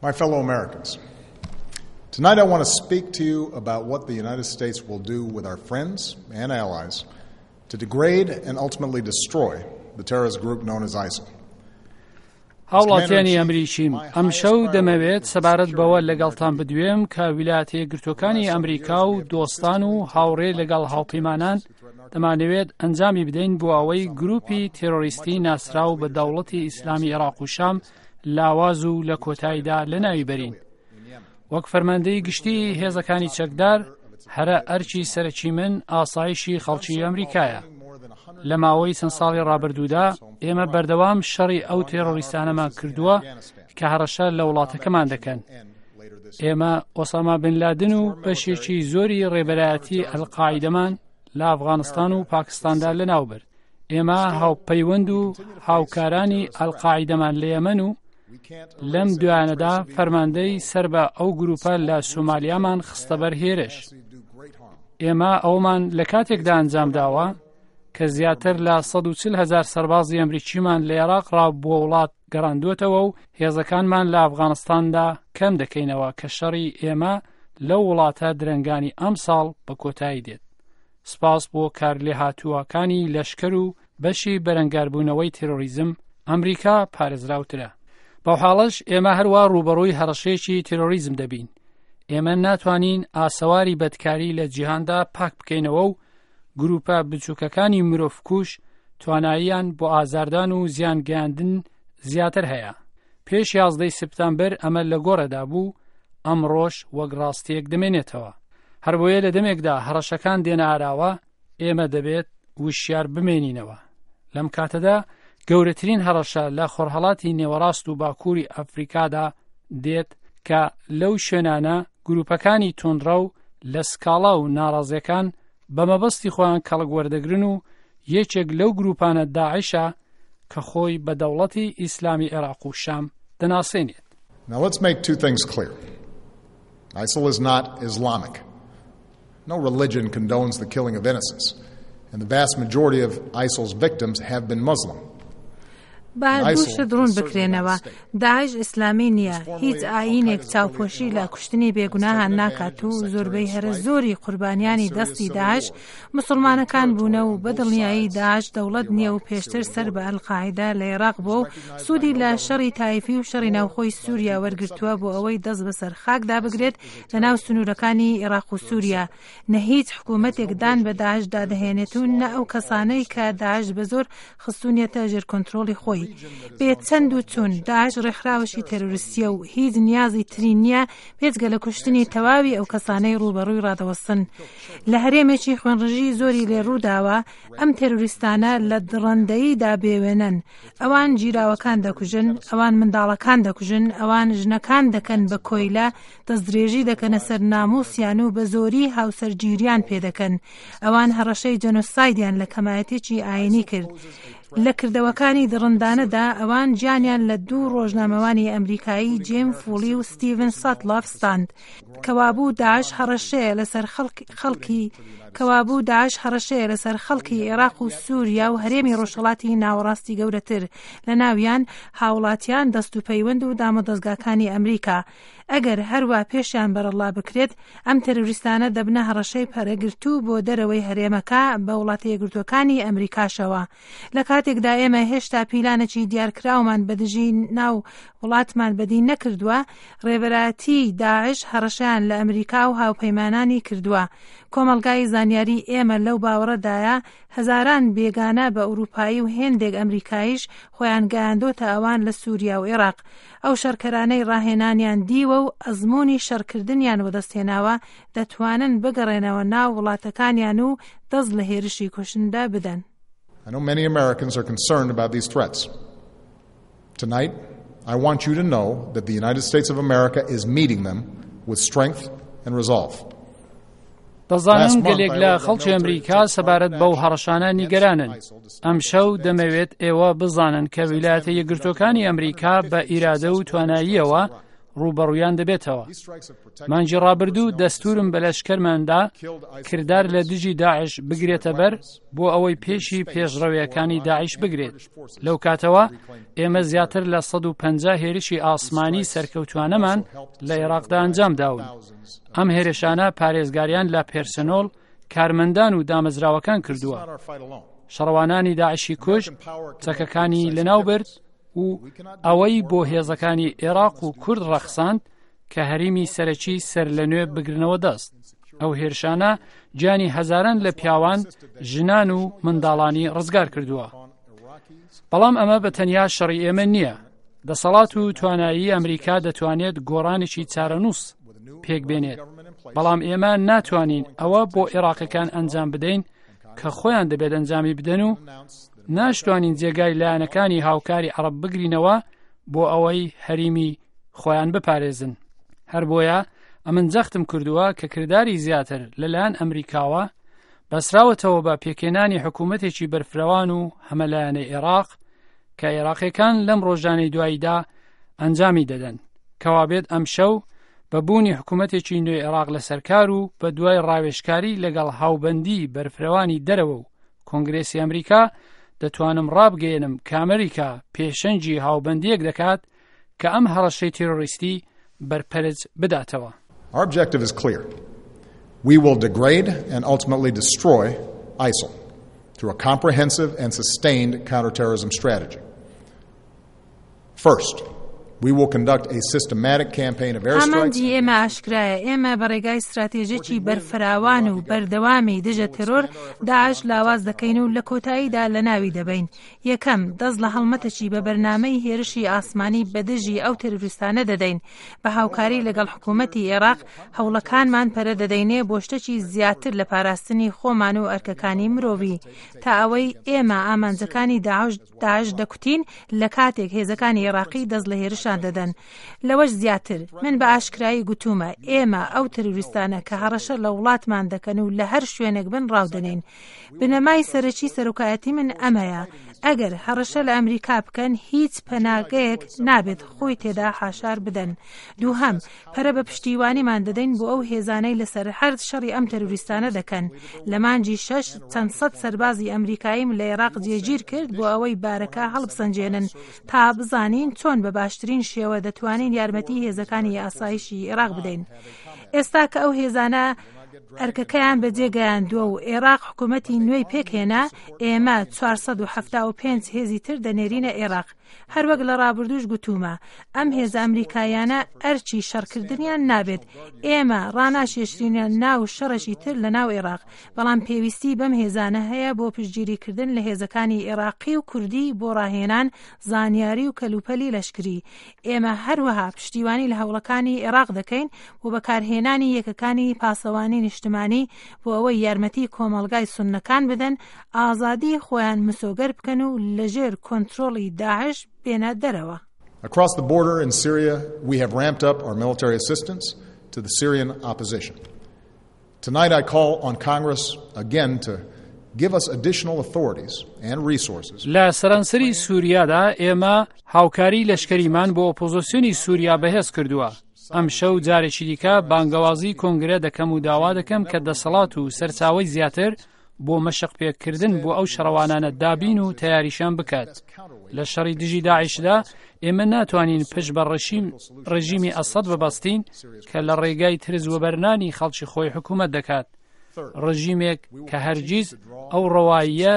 My fellow Americans, tonight I want to speak to you about what the United States will do with our friends and allies to degrade and ultimately destroy the terrorist group known as ISIL. هاوڵاتیانی ئەمریکیم، ئەمشەو دەمەوێت سەبارەت بەوە لەگەڵتان بدوێم کە ویلایەتە یەکگرتووەکانی ئەمریکا و دۆستان و هاوڕێ لەگەڵ هاوپەیمانان دەمانەوێت ئەنجامی بدەین بۆ ئەوەی گروپی تێرۆریستی ناسراو بە دەوڵەتی ئیسلامی عێراق و شام لاواز و لە کۆتاییدا لەناوی بەرین. وەک فەرماندەی گشتی هێزەکانی چەکدار هەرە ئەرکی سەرەکی من ئاسایشی خەڵکی ئەمریکایە. لە ماوەی چەند ساڵی ڕابردوودا ئێمە بەردەوام شەڕی ئەو تێرۆریستانەمان کردووە کە هەڕەشە لە وڵاتەکەمان دەکەن. ئێمە ئۆساما بن لادن و بەشێکی زۆری ڕێبەرایەتی ئەلقاعیدەمان لە ئەفغانستان و پاکستاندا لەناوبرد. ئێمە هاوپەیوەند و هاوکارانی ئەلقاعیدەمان لە یەمەن و لەم دوایانەدا فەرماندەی سەر بە ئەو گروپە لە سۆمالیامان خستە بەر هێرش. ئێمە ئەومان لە کاتێکدا ئەنجام داوە کە زیاتر لە 140 هزار سەربازی ئەمریکیمان لە عێراق ڕا بۆ وڵات گەڕاندووەتەوە و هێزەکانمان لە ئەفغانستاندا کەم دەکەینەوە کە شەڕی ئێمە لەو وڵاتە درەنگانی ئەمساڵ بە کۆتایی دێت. سپاس بۆ کارلێهاتووەکانی لەشکر و بەشی بەرەنگاربوونەوەی تێرۆریزم، ئەمریکا پارێزراوترە. بەوحاڵەش ئێمە هەروا ڕووبەڕووی هەڕەشەیەکی تێرۆریزم دەبین. ئێمە ناتوانین ئاسەواری بەدکاری لە جیهاندا پاک بکەینەوە و گرووپە بچووکەکانی مرۆڤکوژ تواناییان بۆ ئازاردان و زیان گەیاندن زیاتر هەیە. پێش یازدەی سپتامبر ئەمە لە گۆڕێدا بوو، ئەمڕۆش وەک ڕاستییەک دەمێنێتەوە. هەربۆیە لە دەمێکدا هەڕەشەکان دێنە ئاراوە، ئێمە دەبێت وشیار بمێنینەوە. لەم کاتەدا گەورەترین هەڕەشە لە خۆرهەڵاتی نێوەڕاست و باکووری ئەفریکادا دێت کە لەو شوێنانە گروپەکانی توندڕەو لە سکاڵا و ناڕازیەکان بە مەبەستی خۆیان کەڵک وەردەگرن و یەکێک لەو گروپانە داعشە کە خۆی بە دەوڵەتی ئیسلامی عێراق و شام دەناسێنێت. Now let's make two things clear. ISIL is not Islamic. No religion condones the killing of innocents, and the vast majority of ISIL's victims have been Muslim. با دوو شت ڕوون بکرێنەوە، داعش ئیسلامی نییە، هیچ ئایینێک چاوپۆشی لە کوشتنی بێگوناهان ناکات و زۆربەی هەرە زۆری قوربانیانی دەستی داعش موسڵمانەکان بوونە و بە دڵنیایی داعش دەوڵەت نییە و پێشتر سەر بە ئەلقاعیدە لە عێراق بووە و سوودی لە شەڕی تایفی و شەڕی ناوخۆی سووریا وەرگرتووە بۆ ئەوەی دەست بەسەر خاکدا بگرێت لە ناو سنوورەکانی عێراق و سووریا. نە هیچ حکوومەتێک دان بە داعشدا دەهێنێت و نە ئەو کەسانەی کە داعش بە زۆر خستوونیەتە ژێر کۆنترۆڵی خۆی. بێ چەند و چوون، داعش ڕێکخراوەکی تێرۆریستییە و هیچ نیازی تری نییە بێجگە لە کوشتنی تەواوی ئەو کەسانەی ڕووبەڕووی ڕادەوەستن. لە هەرێمێکی خوێنڕژی زۆری لێ ڕووداوە، ئەم تێرۆریستانە لە دڕەندەییدا بێوێنەن. ئەوان گیراوەکان دەکوژن، ئەوان منداڵەکان دەکوژن، ئەوان ژنەکان دەکەن بە کۆیلە، دەستدرێژی دەکەنە سەر ناموسیان و بە زۆری هاوسەرگیریان پێدەکەن. ئەوان هەڕەشەی جەنۆسایدیان لە کەمایەتیەکی ئاینی کرد. لە کردەوەکانی دڕندانەدا ئەوان گیانیان لە دوو ڕۆژنامەوانی ئەمریکایی جیم فوڵی و ستیڤن ساتلاف ستاند. کەوابوو داعش هەڕەشەیە لەسەر خەڵکی کەوابوو داعش هەڕەشەیە لەسەر خەڵکی عێراق و سووریا و هەرێمی ڕۆژهەڵاتی ناوەڕاستی گەورەتر، لەناویان هاوڵاتیان، دەستوپەیوەند و دامودەزگاکانی ئەمریکا. ئەگەر هەروا پێشیان بەرەڵا بکرێت، ئەم تێرۆریستانە دەبنە هەڕەشەی پەرەگرتوو بۆ دەرەوەی هەرێمەکە بە وڵاتە یەکگرتووەکانی ئەمریکاشەوە. لە کاتێکدا ئێمە هێشتا پیلانێکی دیارکراومان بە دژی ناو وڵاتمان بەدی نەکردووە، ڕێبەرایەتیی داعش هەڕەشەیان لە ئەمریکا و هاوپەیمانانی کردووە. کۆمەڵگای زانیاری ئێمە لەو باوەڕەدایە هەزاران بێگانە بە ئورووپایی و هێندێک ئەمریکاییش خۆیان گەیاندۆتە ئەوان لە سووریا و ئێراق. ئەو شەڕکەرانەی ڕاهێنانیان دیوە و ئەزموونی شەڕکردنیان وەدەستهێناوە دەتوانن بگەڕێنەوە ناو وڵاتەکانیان و دەست لە هێرشی کوشندە بدەن. I know many Americans are concerned about these threats. Tonight, I want you to know that the United States of America is meeting them with strength and resolve. دەزانم گەلێک لە خەڵکی ئەمریکا سەبارەت بەو هەڕەشانە نیگەرانن. ئەمشەو دەمەوێت ئێوە بزانن کە ویلایەتە یەکگرتووەکانی ئەمریکا بە ئیرادە و تواناییەوە ڕووبەڕوویان دەبێتەوە. مانگی ڕابردوو دەستوورم بە لەشکەرماندا کردار لە دژی داعش بگرێتە بەر بۆ ئەوەی پێشی پێشڕەویەکانی داعش بگرێت. لەو کاتەوە ئێمە زیاتر لە 150 هێرشی ئاسمانی سەرکەوتوانەمان لە عێراقدا ئەنجام داون. ئەم هێرشانە پارێزگاریان لە پێرسنۆڵ، کارمەندان و دامەزراوەکان کردووە. شەڕوانانی داعشی کوشت، چەکەکانی لەناو برد و ئەوەی بۆ هێزەکانی عێراق و کورد ڕەخساند کە هەریمی سەرەکی سەر لە نوێ بگرنەوە دەست. ئەو هێرشانە گیانی هەزاران لە پیاوان، ژنان و منداڵانی ڕزگار کردووە. بەڵام ئەمە بە تەنیا شەڕی ئێمە نییە. دەسەڵات و توانایی ئەمریکا دەتوانێت گۆڕانێکی چارەنووس پێک بێنێت. بەڵام ئێمە ناتوانین ئەوە بۆ عێراقیەکان ئەنجام بدەین کە خۆیان دەبێت ئەنجامی بدەن و ناشتوانین جێگای لایەنەکانی هاوکاری عەڕەب بگرینەوە بۆ ئەوەی هەریمی خۆیان بپارێزن. هەر بۆیە ئەمن جەختم کردووە کە کرداری زیاتر لەلایەن ئەمریکاوە بەسراوەتەوە بە پێکهێنانی حکوومەتێکی بەرفرەوان و هەمەلایەنەی عێراق کە عێراقیەکان لەم ڕۆژانەی دواییدا ئەنجامی دەدەن. کەوابێت ئەمشەو بە بوونی حکوومەتێکی نوێی عێراق لەسەر کار و بە دوای ڕاوێژکاری لەگەڵ هاوبەندی بەرفرەوانی دەرەوە و کۆنگرێسی ئەمریکا دەتوانم ڕابگەیەنم کە ئەمریکا پێشەنگی هاوبەندییەک دەکات کە ئەم هەڕەشەی تیرۆریستی بەرپەرچ بداتەوە. Our objective is clear. We will degrade and ultimately destroy ISIL through a comprehensive and sustained counterterrorism strategy. First, we will conduct a systematic campaign of airstrikes. ئامانجی ئێمە ئاشکرایە، ئێمە بە ڕێگای ستراتێژێکی بەرفراوان و بەردەوامی دژە تێرۆر داعش لاواز دەکەین و لە کۆتاییدا لەناوی دەبەین. یەکەم، دەست لە هەڵمەتێکی بە بەرنامەی هێرشی ئاسمانی بە دژی ئەو تێرۆریستانە دەدەین. بە هاوکاری لەگەڵ حکوومەتی ئێراق هەوڵەکانمان پەرە دەدەینێ بۆ شتێکی زیاتر لە پاراستنی خۆمان و ئەرکەکانی مرۆڤی. تا ئەوەی ئێمە ئامانجەکانی داعش داعش دەکوتین لە کاتێک هێزەکانی ئێراقی دەست لە هێرشان دەدەن. لەوەش زیاتر، من بە ئاشکرایی گوتوومە، ئێمە ئەو تێرۆریستانە کە هەڕەشە لە وڵاتمان دەکەن و لە هەر شوێنێک بن ڕاودەنێین. بنەمای سەرەکی سەرۆکایەتی من ئەمەیە، ئەگەر هەڕەشە لە ئەمریکا بکەن، هیچ پەناگەیەک نابێت خۆی تێدا حاشار بدەن. دووهەم، پەرە بە پشتیوانیمان دەدەین بۆ ئەو هێزانەی لەسەر عەرد شەڕی ئەم تەرۆریستانە دەکەن. لە مانگی شەش چەند سەد سەربازی ئەمریکاییم لە ئێراق جێگیر کرد بۆ ئەوەی بارەکە هەڵبسەنگێنن تا بزانین چۆن بە باشترین شێوە دەتوانین یارمەتی هێزەکانی ئاسایشی ئێراق بدەین. ئێستا کە ئەو هێزانە ئەرکەکەیان بەجێ گەیاندووە و ئێراق حکوومەتی نوێی پێکهێنا، ئێمە 475 هێزی تر دەنێرینە ئێراق. هەروەک لە ڕابردووش گوتوومە، ئەم هێزە ئەمریکاییانە ئەرکی شەڕکردنیان نابێت، ئێمە ڕاناکێشرینە ناو شەڕێکی تر لە ناو ئێراق، بەڵام پێویستی بەم هێزانە هەیە بۆ پشتگیریکردن لە هێزەکانی ئێراقی و کوردی بۆ ڕاهێنان، زانیاری و کەلوپەلی لەشکری. ئێمە هەروەها پشتیوانی لە هەوڵەکانی ئێراق دەکەین بۆ بەکارهێنانی یەکەکانی پاسەوانی نیشتمانی بۆ ئەوەی یارمەتی کۆمەڵگای سوننەکان بدەن ئازادی خۆیان مسۆگەر بکەن و لەژێر کۆنترۆڵی داعش بێنە دەرەوە. Across the border in Syria, we have ramped up our military assistance to the Syrian opposition. Tonight I call on Congress again to give us additional authorities and resources. لە سەرانسەری سووریادا ئێمە هاوکاری لەشکەریمان بۆ ئۆپۆزۆسیۆنی سووریا بەهێز کردووە. ئەمشەو جارێکی دیکە بانگەوازی کۆنگرە دەکەم و داوا دەکەم کە دەسەڵات و سەرچاوەی زیاتر بۆ مەشق پێکردن بۆ ئەو شەڕەوانانە دابین و تەیاریشان بکات. لە شەڕی دژی داعشدا ئێمە ناتوانین پشت بە ڕژیم ڕژیمی ئەسەد ببەستین کە لە ڕێگای ترس وەبەرنانی خەڵکی خۆی حکوومەت دەکات. ڕژیمێک کە هەرگیز ئەو ڕەواییە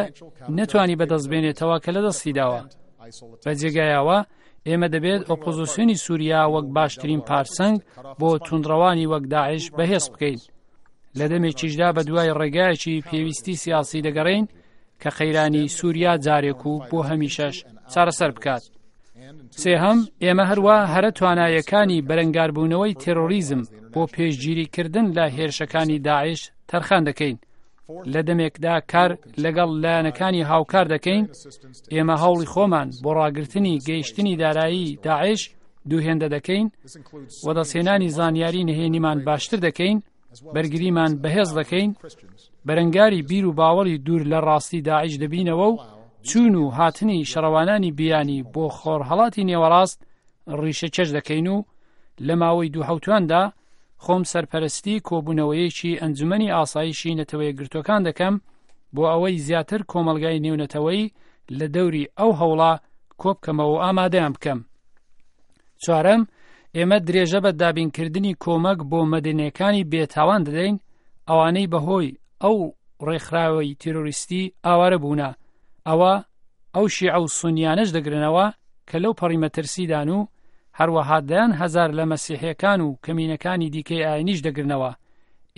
نەتوانی بەدەست بێنێتەوە کە لە دەستی داوە. بە جێگایەوە ئێمە دەبێت ئۆپۆزیسیۆنی سووریا وەک باشترین پارسەنگ بۆ توندڕەوانی وەک داعش بەهێز بکەین. لە دەمێکیشدا بە دوای ڕێگایەکی پێویستی سیاسی دەگەڕێین کە قەیرانی سووریا جارێک و بۆ هەمیشەش چارەسەر بکات. سێهەم، ئێمە هەروا هەرە توانایەکانی بەرەنگاربوونەوەی تێرۆریزم بۆ پێشگیریکردن لە هێرشەکانی داعش تەرخان دەکەین. لە دەمێکدا کار لەگەڵ لایەنەکانی هاوکار دەکەین، ئێمە هەوڵی خۆمان بۆ ڕاگرتنی گەیشتنی دارایی داعش دووهێندە دەکەین و دەستهێنانی زانیاری نهێنیمان باشتر دەکەین، بەرگریمان بەهێز دەکەین، بەرەنگاری بیر و باوەڕی دوور لە ڕاستی داعش دەبینەوە و چوون و هاتنی شەڕەوانانی بیانی بۆ خۆرهەڵاتی نێوەڕاست ڕیشەکێش دەکەین و. لە ماوەی دوو حەوتواندا خۆم سەرپەرستی کۆبوونەوەیەکی ئەنجومەنی ئاسایشی نەتەوەیەکگرتووەکان دەکەم بۆ ئەوەی زیاتر کۆمەڵگای نێونەتەوەیی لە دەوری ئەو هەوڵە کۆبکەمەوە و ئامادەیان بکەم. چوارەم، ئێمە درێژە بە دابینکردنی کۆمەک بۆ مەدەنیەکانی بێتاوان دەدەین، ئەوانەی بەهۆی ئەو ڕێکخراوەی تیرۆریستی ئاوارە بوونە، ئەوە ئەو شیعە و سونیانەش دەگرنەوە کە لەو پەڕی مەترسیدان و هەروەها دەیان هەزار لە مەسیحیەکان و کەمینەکانی دیکەی ئاینیش دەگرنەوە.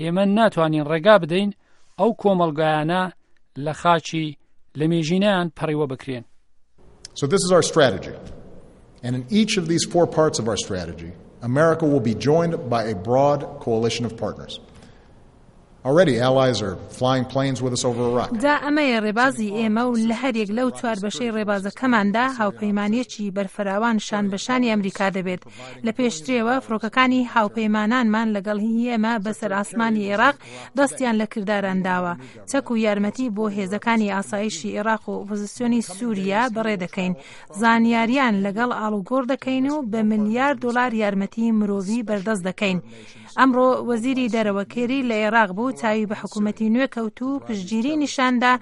ئێمە ناتوانین ڕێگا بدەین ئەو کۆمەڵگایانە لە خاکی لەمێژینەیان پەڕیوە بکرێن. So this is our strategy. And in each of these four parts of our strategy, America will be joined by a broad coalition of partners. Already allies are flying planes with us over Iraq. جا ئەمەیە ڕێبازی ئێمە و لە هەریەک لەو چوار بەشەی ڕێبازەکەماندا هاوپەیمانیەکی بەرفراوان شان بە شانی ئەمریکا دەبێت. لە پێشترێوە فڕۆکەکانی هاوپەیمانانمان لەگەڵ هی ئێمە بەسەر ئاسمانی ئێراق دەستیان لە کرداران داوە. چەک و یارمەتی بۆ هێزەکانی ئاسایشی ئێراق و ئۆپۆزسیۆنی سوریا بەڕێ دەکەین. زانیاریان لەگەڵ ئاڵوگۆڕ دەکەین و بە ملیار دۆلار یارمەتی مرۆڤی بەردەست دەکەین. ئەمڕۆ وەزیری دەرەوە کێری لە ئێراق بوو، چاوی بە حکوومەتی نوێ کەوت و پشتگیری نیشاندا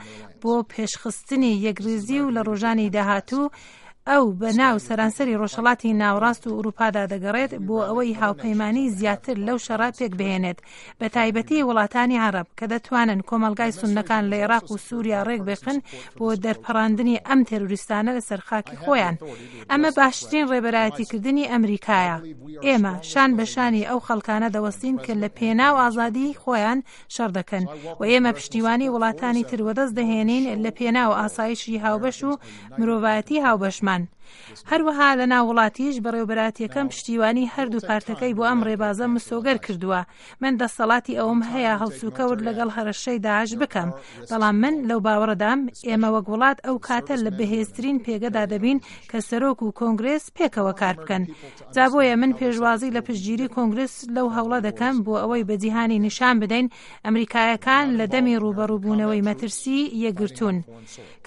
بۆ پێشخستنی یەکڕیزی و لە ڕۆژانی داهاتوو ئەو بە ناو سەرانسەری ڕۆژهەڵاتی ناوەڕاست و ئورووپادا دەگەڕێت بۆ ئەوەی هاوپەیمانی زیاتر لەو شەڕە پێکبهێنێت، بە تایبەتی وڵاتانی عەڕەب کە دەتوانن کۆمەڵگای سوننەکان لە ئێڕاق و سووریا ڕێکبخن بۆ دەرپەڕاندنی ئەم تێرۆریستانە لەسەر خاکی خۆیان. ئەمە باشترین ڕێبەرایەتیکردنی ئەمریکایە. ئێمە شان بە شانی ئەو خەڵکانە دەوەستین کە لە پێناو ئازادیی خۆیان شەڕ دەکەن و ئێمە پشتیوانی وڵاتانی تر وەدەست دەهێنین لە پێناو ئاسایشی هاوبەش و مرۆڤایەتی هاوبەشمان. هەروەها لە ناو وڵاتیش بەڕێوەبەرایەتیەکەم پشتیوانی هەردوو پارتەکەی بۆ ئەم ڕێبازە مسۆگەر کردووە. من دەستەڵاتی ئەوەم هەیە هەڵسوکەوت لەگەڵ هەڕەشەی داعش بکەم، بەڵام من لەو باوەڕەدام ئێمە وەک وڵات ئەو کاتە لە بەهێزترین پێگەدا دەبین کە سەرۆک و کۆنگرێس پێکەوە کار بکەن. جا بۆیە من پێشوازی لە پشتگیری کۆنگرێس لەو هەوڵە دەکەم بۆ ئەوەی بە جیهانی نیشان بدەین ئەمریکایەکان لە دەمی ڕووبەڕووبوونەوەی مەترسی یەکگرتوون.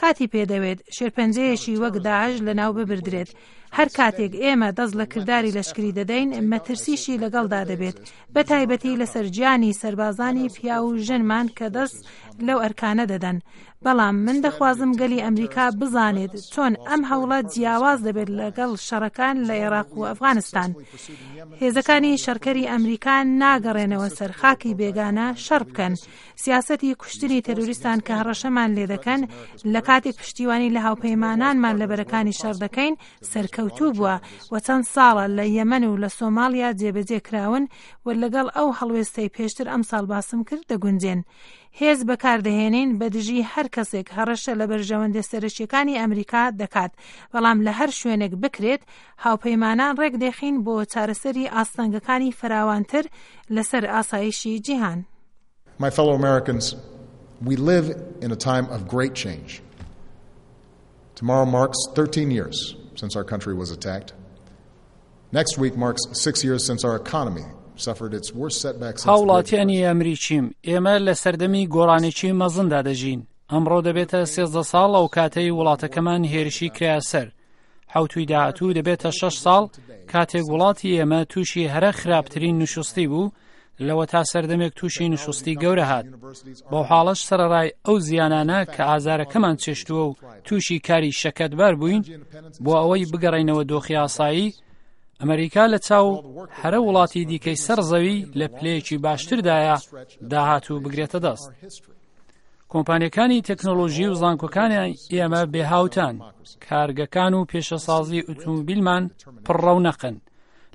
کاتی پێدەوێت شێرپەنجەیەکی وەک داعش لەناو ببردرێت. هەر کاتێک ئێمە دەست لە کرداری لەشکری دەدەین، مەترسیشی لەگەڵدا دەبێت، بە تایبەتی لەسەر گیانی سەربازانی پیاو و ژنمان کە دەست لەو ئەرکانە دەدەن. بەڵام من دەخوازم گەلی ئەمریکا بزانێت چۆن ئەم هەوڵە جیاواز دەبێت لەگەڵ شەڕەکان لە ئێراق و ئەفغانستان. هێزەکانی شەڕکەری ئەمریکا ناگەڕێنەوە سەر خاکی بێگانە شەڕ بکەن. سیاسەتی کوشتنی تەرۆریستان کە هەڕەشەمان لێدەکەن لە کاتێک پشتیوانی لە هاوپەیمانانمان لە بەرەکانی شەڕ دەکەین سەرکەوتوو بووە و چەند ساڵە لە یەمەن و لە سۆماڵیا جێبەجێ کراون و لەگەڵ ئەو هەڵوێستەی پێشتر ئەمساڵ باسم کرد دەگونجێن. هێز بەکاردەهێنین بە دژی هەر کەسێک هەڕەشە لە بەرژەوەندیە سەرەکیەکانی ئەمریکا دەکات، بەڵام لە هەر شوێنێک بکرێت هاوپەیمانان ڕێکدەخین بۆ چارەسەری ئاستەنگەکانی فراوانتر لەسەر ئاسایشی جیهان. My fellow Americans, we live in a time of great change. Tomorrow marks 13 years since our country was attacked. Next week marks six years since our economy suffered its worst setback since the Great هاوڵاتیانی Depression. ئەمریکیم، ئێمە لە سەردەمی گۆڕانێکی مەزندا دەژین. ئەمڕۆ دەبێتە 13 ساڵ ئەو کاتەی وڵاتەکەمان هێرشی کرایە سەر. حەوتووی داهاتوو دەبێتە شەش ساڵ کاتێک وڵاتی ئێمە تووشی هەرە خراپترین نوشوستی بوو، لەوەتا سەردەمێک تووشی نوشوستی گەورە هات. بەو حاڵەش سەرەڕای ئەو زیانانە کە ئازارەکەمان چێشتووە و تووشی کاری شەکەتبار بووین بۆ ئەوەی بگەڕێینەوە دۆخی ئاسایی، ئەمریکا لە چاو هەرە وڵاتی دیکەی سەر زەوی لە پلەیەکی باشتردایە داهاتوو بگرێتە دەست. کۆمپانیەکانی تەکنۆلۆژی و زانکۆکانی ئێمە بێهاوتان، کارگەکان و پێشەسازی ئوتومبیلمان پڕڕەونەقن.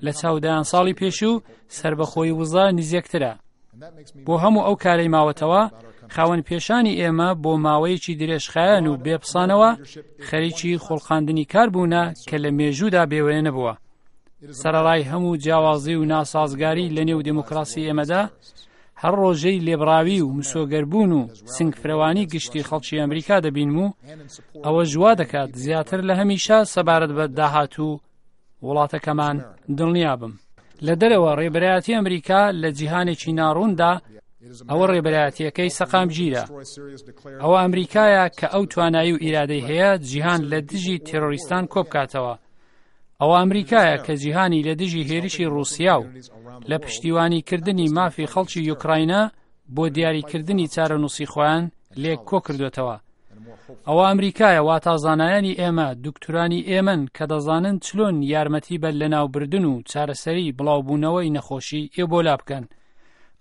لە چاو دەیان ساڵی پێشوو سربەخۆی وزە نزیکترە. بۆ هەموو ئەو کارەی ماوەتەوە، خاوەن پێشانی ئێمە بۆ ماوەیەکی درێژخایەن و بێپسانەوە خەریکی خوڵقاندنی کار بوونە کە لە مێژوودا بێوێنە نەبووە. سەرەڕای هەموو جیاوازی و ناسازگاری لە نێو دێموکراسی ئێمەدا، هەر ڕۆژەی لێبڕاوی و مسۆگەربوون و سنگفرەوانی گشتی خەڵکی ئەمریکا دەبینم و ئەوەش وا دەکات زیاتر لە هەمیشە سەبارەت بە داهاتوو وڵاتەکەمان دڵنیابم. لە دەرەوە ڕێبەرایەتی ئەمریکا لە جیهانێکی ناڕووندا ئەوە ڕێبەرایەتیەکەی سەقامگیرە. ئەوە ئەمریکایە کە ئەو توانایی و ئیرادەی هەیە جیهان لە دژی تێرۆریستان کۆبکاتەوە. ئەوە ئەمریکایە کە جیهانی لە دژی هێرشی ڕووسیا و لە پشتیوانیکردنی مافی خەڵکی یوکراینا بۆ دیاریکردنی چارەنووسی خۆیان لێک کۆکردوێتەوە. ئەوە ئەمریکایە واتا زانایانی ئێمە دوکتورانی ئێمەن کە دەزانن چلۆن یارمەتی بە لەناوبردن و چارەسەری بڵاوبوونەوەی نەخۆشی ئێبۆلا بکەن.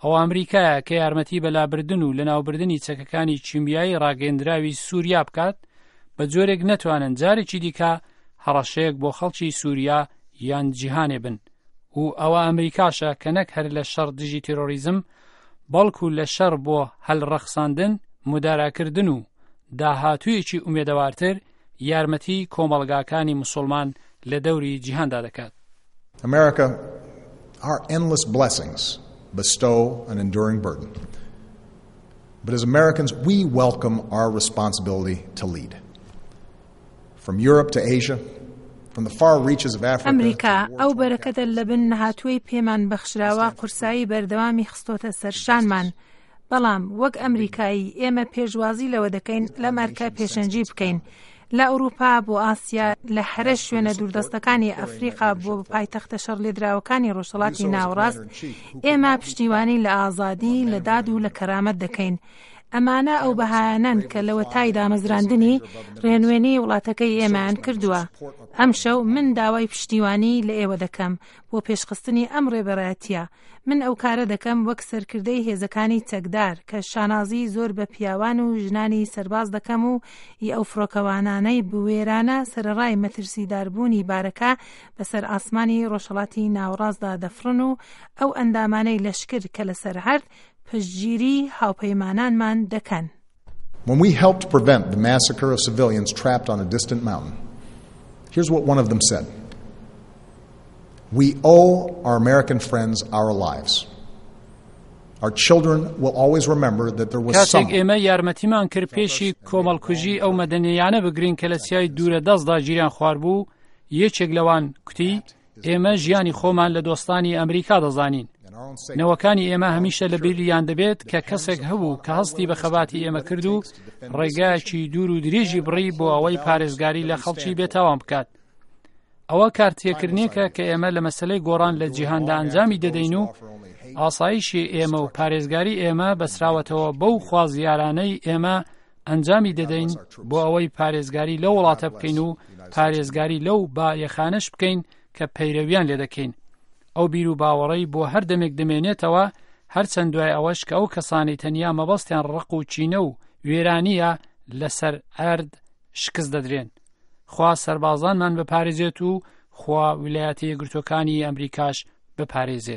ئەوە ئەمریکایە کە یارمەتی بە لابردن و لەناوبردنی چەکەکانی کیمیایی ڕاگەیەندراوی سووریا بکات بە جۆرێک نەتوانن جارێکی دیکە هەڕەشەیەک بۆ خەڵکی سووریا یان جیهانێ بن و ئەوە ئەمریکاشە کە نەک هەر لە شەڕ دژی تێرۆریزم بەڵکو لە شەڕ بۆ هەلڕەخساندن مداراکردن و داهاتوویەکی ئومێدەوارتر یارمەتی کۆمەڵگاکانی مسوڵمان لە دەوری جیهاندا دەکات. America, our endless blessings bestow an enduring burden. But as Americans, we welcome our responsibility to lead. From Europe to Asia, from the far reaches of Africa ئەمریکا، ئەو بەرەکەتە لەبن نەهاتووەی پێمان بەخشراوە قورسایی بەردەوامی خستۆتە سەر شانمان. بەڵام وەک ئەمریکایی ئێمە پێشوازی لەوە دەکەین لەم ئەرکە پێشەنگی بکەین. لە ئەوروپا بۆ ئاسیا، لە هەرە شوێنە دووردەستەکانی ئەفریقا بۆ پایتەختە شەڕلێدراوەکانی ڕۆژهەڵاتی ناوەڕاست، ئێمە پشتیوانی لە ئازادی، لە داد و لە کەرامەت دەکەین. ئەمانە ئەو بەهایانەن کە لەوەتای دامەزراندنی، ڕێنوێنی وڵاتەکەی ئێمەیان کردووە. ئەمشەو من داوای پشتیوانی لە ئێوە دەکەم بۆ پێشخستنی ئەم ڕێبەرایەتییە. من ئەو کارە دەکەم وەک سەرکردەی هێزەکانی چەکدار کە شانازی زۆر بە پیاوان و ژنانی سەرباز دەکەم و ی ئەو فڕۆکەوانانەی بوێرانە سەرەڕای مەترسیداربوونی بارەکە بەسەر ئاسمانی ڕۆژهەڵاتی ناوەڕاستدا دەفڕن و ئەو ئەندامانەی لەشکر کە لەسەر عەرد پشتگیری هاوپەیمانانمان دەکەن. When we helped prevent the massacre of civilians trapped on a distant mountain, here's what one of them said. We owe our American friends our lives. Our children will always remember that there was کاتێک ئێمە یارمەتیمان کرد پێشی کۆمەڵکوژی ئەو مەدەنیانە بگرین کە لە چیای دوورە دەستدا گیریان خواربوو یەکێک لەوان کوتی ئێمە ژیانی خۆمان لە دۆستانی ئەمریکا دەزانین نەوەکانی ئێمە هەمیشە لە بیریان دەبێت کە کەسێک هەبوو کە هەستی بە خەباتی ئێمە کرد و ڕێگایەکی دوور و درێژی بڕی بۆ ئەوەی پارێزگاری لە خەڵکی بێتاوان بکات ئەوە کارتێکردنێکە کە ئێمە لە مەسلەی گۆڕان لە جیهاندا ئەنجامی دەدەین و ئاسایشی ئێمە و پارێزگاری ئێمە بەسراوەتەوە بەو خوازیارانەی ئێمە ئەنجامی دەدەین بۆ ئەوەی پارێزگاری لەو وڵاتە بکەین و پارێزگاری لەو بایەخانەش بکەین کە پەیرەویان لێ دەکەین ئەو بیر و باوەڕەی بۆ هەر دەمێک دەمێنێتەوە هەرچەند دوای ئەوەش کە ئەو کەسانی تەنیا مەبەستیان ڕق و چینە و وێرانیە لەسەر ئەرد شکست دەدرێن خوا سەربازانمان بپارێزێت و خوا ویلایەتە یەکگرتووەکانی ئەمریکاش بپارێزێت.